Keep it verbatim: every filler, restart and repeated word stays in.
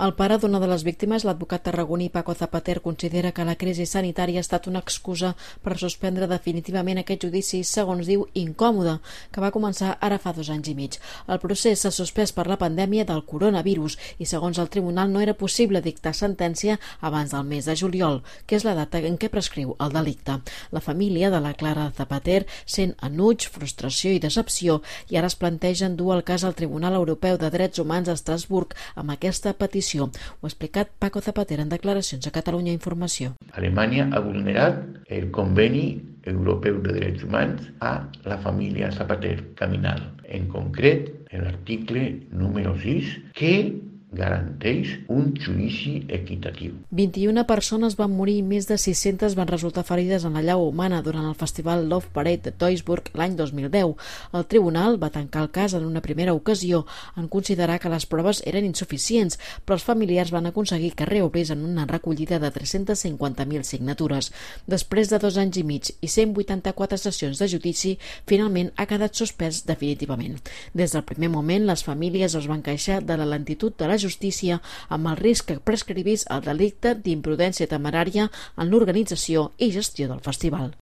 El pare d'una de les víctimes, l'advocat tarragoní Paco Zapater, considera que la crisi sanitària ha estat una excusa per suspendre definitivament aquest judici, segons diu, incòmode, que va començar ara fa dos anys i mig. El procés s'ha suspès per la pandèmia del coronavirus i, segons el tribunal, no era possible dictar sentència abans del mes de juliol, que és la data en què prescriu el delicte. La família de la Clara Zapater sent enuig, frustració i decepció i ara es plantegen dur el cas al Tribunal Europeu de Drets Humans a Estrasburg amb aquesta petició. Ho ha explicat Paco Zapater en declaracions a Catalunya Informació. Alemanya ha vulnerat el Conveni Europeu de Drets Humans a la família Zapater Caminal. En concret, l'article número sis, que garanteix un judici equitatiu. vint-i-una persones van morir i més de sis-centes van resultar ferides en la llau humana durant el festival Love Parade de Duisburg l'any dos mil deu. El tribunal va tancar el cas en una primera ocasió en considerar que les proves eren insuficients, però els familiars van aconseguir que reobrís en una recollida de tres-cents cinquanta mil signatures. Després de dos anys i mig i cent vuitanta-quatre sessions de judici, finalment ha quedat suspès definitivament. Des del primer moment, les famílies es van queixar de la lentitud de la justícia amb el risc que prescrivís el delicte d'imprudència temerària en l'organització i gestió del festival.